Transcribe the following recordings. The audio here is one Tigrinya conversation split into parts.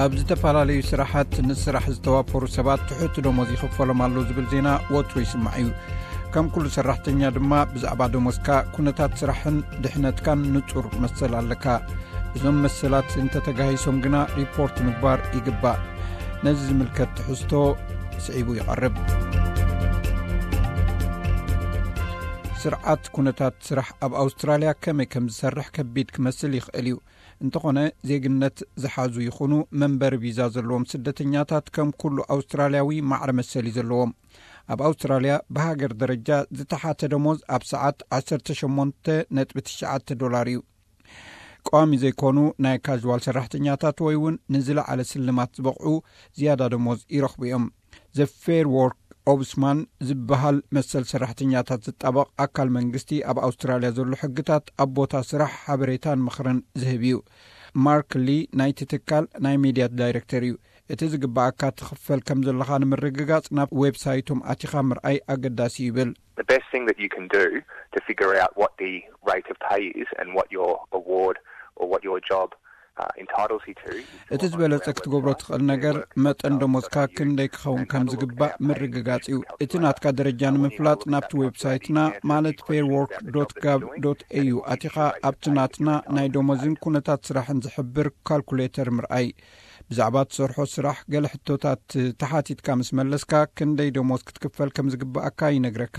ኣብ ዝተፈላለዩ ስራሓት ንስራሕ ዝተዋፈሩ ሰባት ትሑት ደሞዝ ይኽፈሎም ኣሎ ዝብል ዜና ወትሩ ይስማዕ እዩ። ከም ኩሉ ሰራሕተኛ ድማ፣ ብዛዕባ ደሞዝካ፣ ኩነታት ስራሕን ድሕነትካን ንጹር መሰል ኣለካ። እዞም መሰላት እንተተጋሂሶም ግና፣ ሪፖርት ምግባር ይግባእ። ነዚ ዝምልከት ትሕዝቶ ስዒቡ ይቐርብ። ስርዓት ኩነታት ስራሕ ኣብ ኣውስትራልያ ከመይ ከም ዝሰርሕ ከቢድ ክመስል ይኽእል እዩ። እንተኾነ፣ ዜግነት ዝሓዙ ይኹኑ መንበሪ ቪዛ ዘለዎም ስደተኛታት፣ ከም ኩሉ ኣውስትራልያዊ፣ ማዕረ መሰል እዩ ዘለዎም። ኣብ ኣውስትራልያ፣ ብሃገር ደረጃ ዝተሓተ ደሞዝ ኣብ ሰዓት ዓሰርተ ሸሞንተ ነጥቢ ትሽዓተ ዶላር እዩ። ቀዋሚ ዘይኮኑ ናይ ካዥዋል ሰራሕተኛታት ወይ እውን ንዝለዓለ ስልማት ዝበቕዑ ዝያዳ ደሞዝ ይረኽቡ እዮም። ዘ ፌር ዎርክ ኦብስማን ዝበሃል መሰል ሰራሕተኛታት ዝጣበቕ ኣካል መንግስቲ፣ ኣብ ኣውስትራልያ ዘሎ ሕግታት ኣብ ቦታ ስራሕ ሓበሬታን ምኽርን ዝህብ እዩ። ማርክ ሊ ናይቲ ትካል ናይ ሚድያ ዳይሬክተር እዩ። እቲ ዝግባኣካ ትኽፈል ከም ዘለኻ ንምርግጋጽ፣ ናብ ዌብሳይቶም ኣቲኻ ምርኣይ ኣገዳሲ ይብል። The best thing that you can do to figure out what the rate of pay is and what your award or what your job, uh, entitles you to is to እቲ ዝበለጸ ክትገብሮ ትኽእል ነገር፣ መጠን ደሞዝካ ክንደይ ክኸውን ከም ዝግባእ ምርግጋጽ እዩ። እቲ ናትካ ደረጃ ንምፍላጥ፣ ናብቲ ዌብሳይትና፣ ማለት ፌር ዎርክ ዶት ጋቭ ዶት ኤዩ ኣቲኻ፣ ኣብቲ ናትና ናይ ደሞዝን ኩነታት ስራሕን ዝሕብር ካልኩሌተር ምርኣይ። ብዛዕባ ትሰርሖ ስራሕ ገለ ሕቶታት ተሓቲትካ ምስ መለስካ፣ ክንደይ ደሞዝ ክትክፈል ከም ዝግባኣካ ይነግረካ።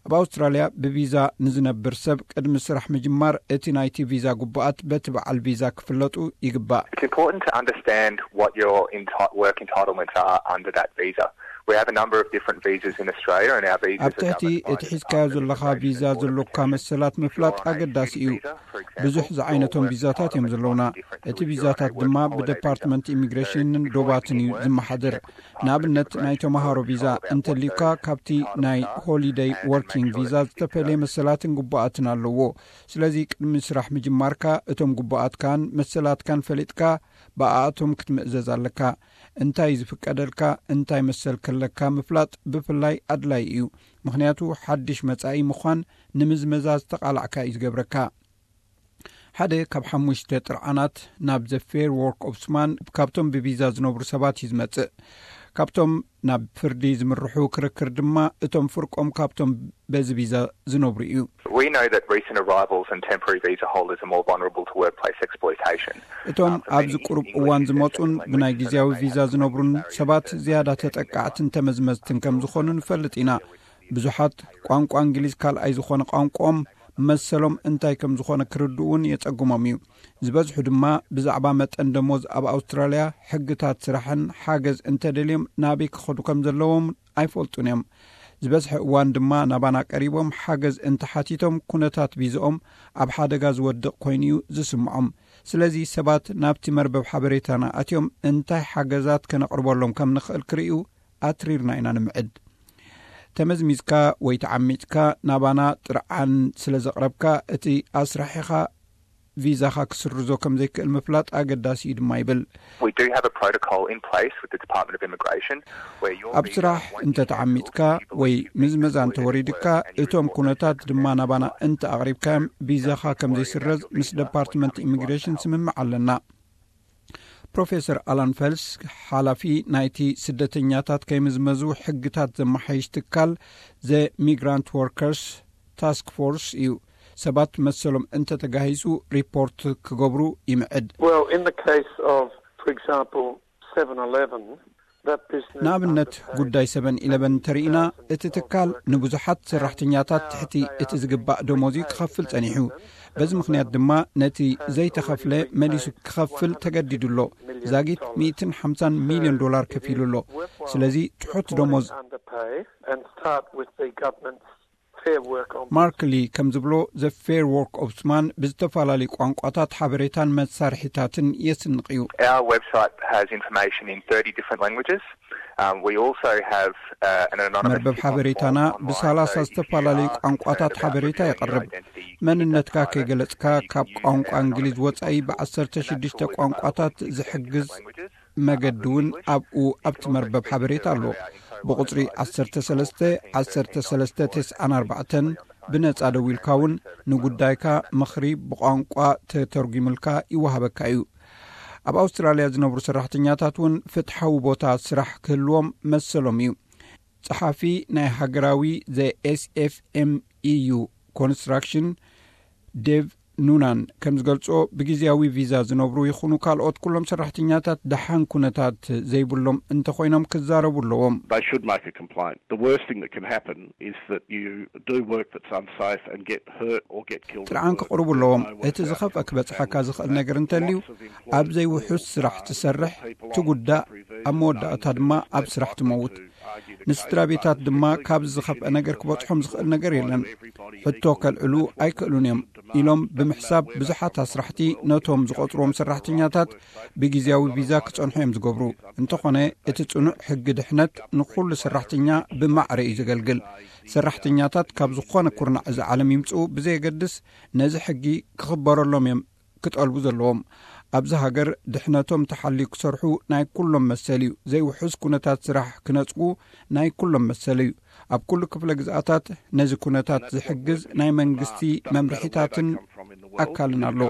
ኣብ ኣውስትራልያ ብቪዛ ንዝነብር ሰብ፣ ቅድሚ ስራሕ ምጅማር፣ እቲ ናይቲ ቪዛ ግቡኣት በቲ በዓል ቪዛ ክፍለጡ ይግባእ። It's important to understand what your enti- work entitlements are under that visa. We have a number of different visas in Australia, and our visas ኣብ ትሕቲ እቲ ሒዝካዮ ዘለኻ ቪዛ ዘሎካ መሰላት ምፍላጥ ኣገዳሲ እዩ። ብዙሕ ዝዓይነቶም ቪዛታት እዮም ዘለውና። እቲ ቪዛታት ድማ ብደፓርትመንት ኢሚግሬሽንን ዶባትን እዩ ዝመሓደር። ንኣብነት፣ ናይ ተምሃሮ ቪዛ እንተልዩካ፣ ካብቲ ናይ ሆሊደይ ወርኪንግ ቪዛ ዝተፈልየ መሰላትን ግቡኣትን ኣለዎ። ስለዚ፣ ቅድሚ ስራሕ ምጅማርካ፣ እቶም ግቡኣትካን መሰላትካን ፈሊጥካ፣ ብኣኣቶም ክትምእዘዝ ኣለካ። እንታይ ዝፍቀደልካ፣ እንታይ መሰል ከለካ ምፍላጥ ብፍላይ ኣድላይ እዩ። ምኽንያቱ፣ ሓድሽ መጻኢ ምዃን ንምዝመዛ ዝተቓላዕካ እዩ ዝገብረካ። ሓደ ካብ ሓሙሽተ ጥርዓናት ናብ ዘ ፌር ዎርክ ኦብስማን ካብቶም ብቪዛ ዝነብሩ ሰባት እዩ ዝመጽእ። ካብቶም ናብ ፍርዲ ዝምርሑ ክርክር ድማ፣ እቶም ፍርቆም ካብቶም በዚ ቪዛ ዝነብሩ እዩ። We know that recent arrivals and temporary visa holders are more vulnerable to workplace exploitation. እቶም ኣብዚ ቁሩብ እዋን ዝመጹን ብናይ ግዜያዊ ቪዛ ዝነብሩን ሰባት ዝያዳ ተጠቃዕትን ተመዝመዝትን ከም ዝኾኑ ንፈልጥ ኢና። ብዙሓት ቋንቋ እንግሊዝ ካልኣይ ዝኾነ ቋንቋኦም፣ መሰሎም እንታይ ከም ዝኾነ ክርድኡ እውን የጸግሞም እዩ። ዝበዝሑ ድማ ብዛዕባ መጠን ደሞዝ ኣብ ኣውስትራልያ፣ ሕግታት ስራሕን ሓገዝ እንተደልዮም ናበይ ክኸዱ ከም ዘለዎም ኣይፈልጡን እዮም። ዝበዝሐ እዋን ድማ ናባና ቀሪቦም ሓገዝ እንተሓቲቶም፣ ኩነታት ቪዝኦም ኣብ ሓደጋ ዝወድቕ ኮይኑ እዩ ዝስምዖም። ስለዚ ሰባት ናብቲ መርበብ ሓበሬታና ኣትዮም እንታይ ሓገዛት ከነቕርበሎም ከም ንኽእል ክርእዩ ኣትሪርና ኢና ንምዕድ። ተመዝሚዝካ ወይ ተዓሚጽካ ናባና ጥርዓን ስለ ዘቕረብካ፣ እቲ ኣስራሒኻ ቪዛኻ ክስርዞ ከም ዘይክእል ምፍላጥ ኣገዳሲ እዩ ድማ ይብል። We do have a protocol in place with the Department of Immigration where your ኣብ visa, ስራሕ once you እንተ cancel, ተዓሚጽካ ወይ ምዝመዛ እንተ ወሪድካ፣ እቶም ኩነታት ድማ ናባና እንተ ኣቕሪብካዮም፣ ቪዛኻ ከም ዘይስረዝ ምስ ደፓርትመንት ኢሚግሬሽን ስምምዕ ኣለና። ፕሮፌሰር ኣላን ፈልስ፣ ሓላፊ ናይቲ ስደተኛታት ከይምዝመዙ ሕግታት ዘመሓይሽ ትካል ዘ ሚግራንት ወርከርስ ታስክ ፎርስ እዩ። ሰባት መሰሎም እንተተጋሂሱ ሪፖርት ክገብሩ ይምዕድ። Well, in the case of, for example, Seven Eleven, that business ንኣብነት፣ underpaid ጉዳይ ሰቨን ኢለቨን እንተርኢና፣ እቲ ትካል ንብዙሓት ሰራሕተኛታት ትሕቲ እቲ ዝግባእ ደሞዝ እዩ ክኸፍል ጸኒሑ። በዚ ምኽንያት ድማ ነቲ ዘይተኸፍለ መሊሱ ክኸፍል ተገዲዱ ኣሎ። ዛጊት ሚእትን ሓምሳን ሚልዮን ዶላር ከፊሉ ኣሎ። ስለዚ፣ ትሑት ደሞዝ Underpay and start with the government's Fair Work Ombudsman. ማርክ ሊ ከም ዝብሎ፣ ዘ ፌር ዎርክ ኦምቡድስማን ብዝተፈላለዩ ቋንቋታት ሓበሬታን መሳርሒታትን የስንቕ እዩ። Our website has information in thirty different languages. Um, we also have, uh, an anonymous መርበብ ሓበሬታና ብሰላሳ ዝተፈላለዩ ቋንቋታት ሓበሬታ የቕርብ። መንነትካ ከይገለጽካ፣ ካብ ቋንቋ እንግሊዝ ወጻኢ ብዓሰርተ ሽዱሽተ ቋንቋታት ዝሕግዝ መገዲ እውን ኣብኡ፣ ኣብቲ መርበብ ሓበሬታ ኣሎ። ብቑጽሪ ዓሰርተ ሰለስተ ዓሰርተ ሰለስተ ተስዓን ኣርባዕተን ብነጻ ደዊልካ እውን ንጉዳይካ ምኽሪ ብቋንቋ ተተርጒምልካ ይወሃበካ እዩ። ኣብ ኣውስትራልያ ዝነብሩ ሰራሕተኛታት እውን ፍትሓዊ ቦታ ስራሕ ክህልዎም መሰሎም እዩ። ጸሓፊ ናይ ሃገራዊ ዘ ኤስኤፍኤምኢዩ ኮንስትራክሽን ዴቭ ኑናን ከም ዝገልጾ፣ ብግዜያዊ ቪዛ ዝነብሩ ይኹኑ ካልኦት ኩሎም ሰራሕተኛታት ደሓን ኩነታት ዘይብሎም እንተኾይኖም ክዛረቡ ኣለዎም። They should make a complaint. The worst thing that can happen is that you do work that's unsafe and get hurt or get killed. ጥርዓን ክቕርቡ ኣለዎም። እቲ ዝኸፍአ ክበጽሓካ ዝኽእል ነገር እንተልዩ፣ ኣብ ዘይውሑስ ስራሕ ትሰርሕ፣ ትጉዳእ፣ ኣብ መወዳእታ ድማ ኣብ ስራሕ ትመውት። ንስድራ ቤታት ድማ ካብዚ ዝኸፍአ ነገር ክበጽሖም ዝኽእል ነገር የለን። ሕቶ ከልዕሉ ኣይክእሉን እዮም ኢሎም ብምሕሳብ፣ ብዙሓት ኣስራሕቲ ነቶም ዝቖጽርዎም ሰራሕተኛታት ብግዜያዊ ቪዛ ክጸንሑ እዮም ዝገብሩ። እንተኾነ፣ እቲ ጽኑዕ ሕጊ ድሕነት ንኹሉ ሰራሕተኛ ብማዕረ እዩ ዘገልግል። ሰራሕተኛታት ካብ ዝኾነ ኩርናዕ እዚ ዓለም ይምጽኡ ብዘየገድስ፣ ነዚ ሕጊ ክኽበረሎም እዮም ክጠልቡ ዘለዎም። ኣብዚ ሃገር ድሕነቶም ተሓልዩ ክሰርሑ ናይ ኩሎም መሰል እዩ። ዘይውሑስ ኩነታት ስራሕ ክነጽጉ ናይ ኩሎም መሰል እዩ። ኣብ ኩሉ ክፍለ ግዝኣታት ነዚ ኩነታት ዝሕግዝ ናይ መንግስቲ መምርሒታትን ኣካልን ኣሎ።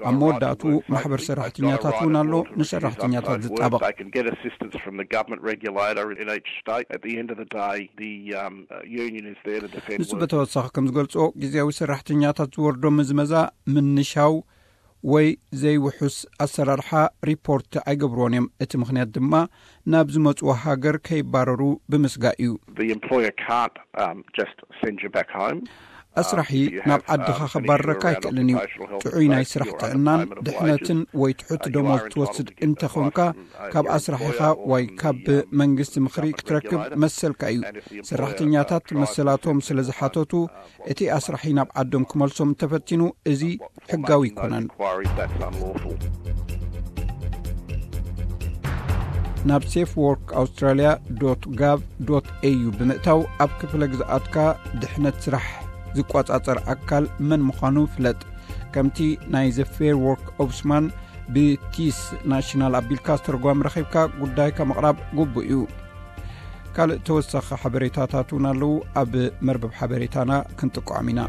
ኣብ መወዳእቱ ማሕበር ሰራሕተኛታት እውን ኣሎ፣ ንሰራሕተኛታት ዝጣበቕ። They can get assistance from the government regulator in each state. At the end of the day, the um, uh, union is there to defend ንሱ workers. በተወሳኺ ከም ዝገልጾ፣ ግዜያዊ ሰራሕተኛታት ዝወርዶ ምዝመዛ ምንሻው ወይ ዘይውሑስ ኣሰራርሓ ሪፖርት ኣይገብርዎን እዮም። እቲ ምኽንያት ድማ ናብ ዝመጽዎ ሃገር ከይባረሩ ብምስጋእ እዩ። The employer can't um, just send you back home. ኣስራሒ ናብ ዓድኻ ከባረረካ ኣይክእልን እዩ። ጥዑይ ናይ ስራሕ ጥዕናን ድሕነትን ወይ ትሑት ደሞዝ ትወስድ እንተኾንካ፣ ካብ ኣስራሒኻ ወይ ካብ መንግስቲ ምኽሪ ክትረክብ መሰልካ እዩ። ሰራሕተኛታት መሰላቶም ስለ ዝሓተቱ፣ እቲ ኣስራሒ ናብ ዓዶም ክመልሶም እንተፈቲኑ፣ እዚ ሕጋዊ ኣይኮነን። Inquiries, that's unlawful. ናብ ሴፍ ዎርክ ኣውስትራልያ ዶት ጋቭ ዶት ኤዩ ብምእታው፣ ኣብ ክፍለ ግዝኣትካ ድሕነት ስራሕ ዝቆጻጸር ኣካል መን ምዃኑ ፍለጥ። ከምቲ ናይ ዘ ፌር ዎርክ ኦብስማን ብቲስ ናሽናል ኣቢልካ ዝተርጓም ረኺብካ ጉዳይካ ምቕራብ ግቡእ እዩ። ካልእ ተወሳኺ ሓበሬታታት እውን ኣለዉ። ኣብ መርበብ ሓበሬታና ክንጥቅዖም ኢና።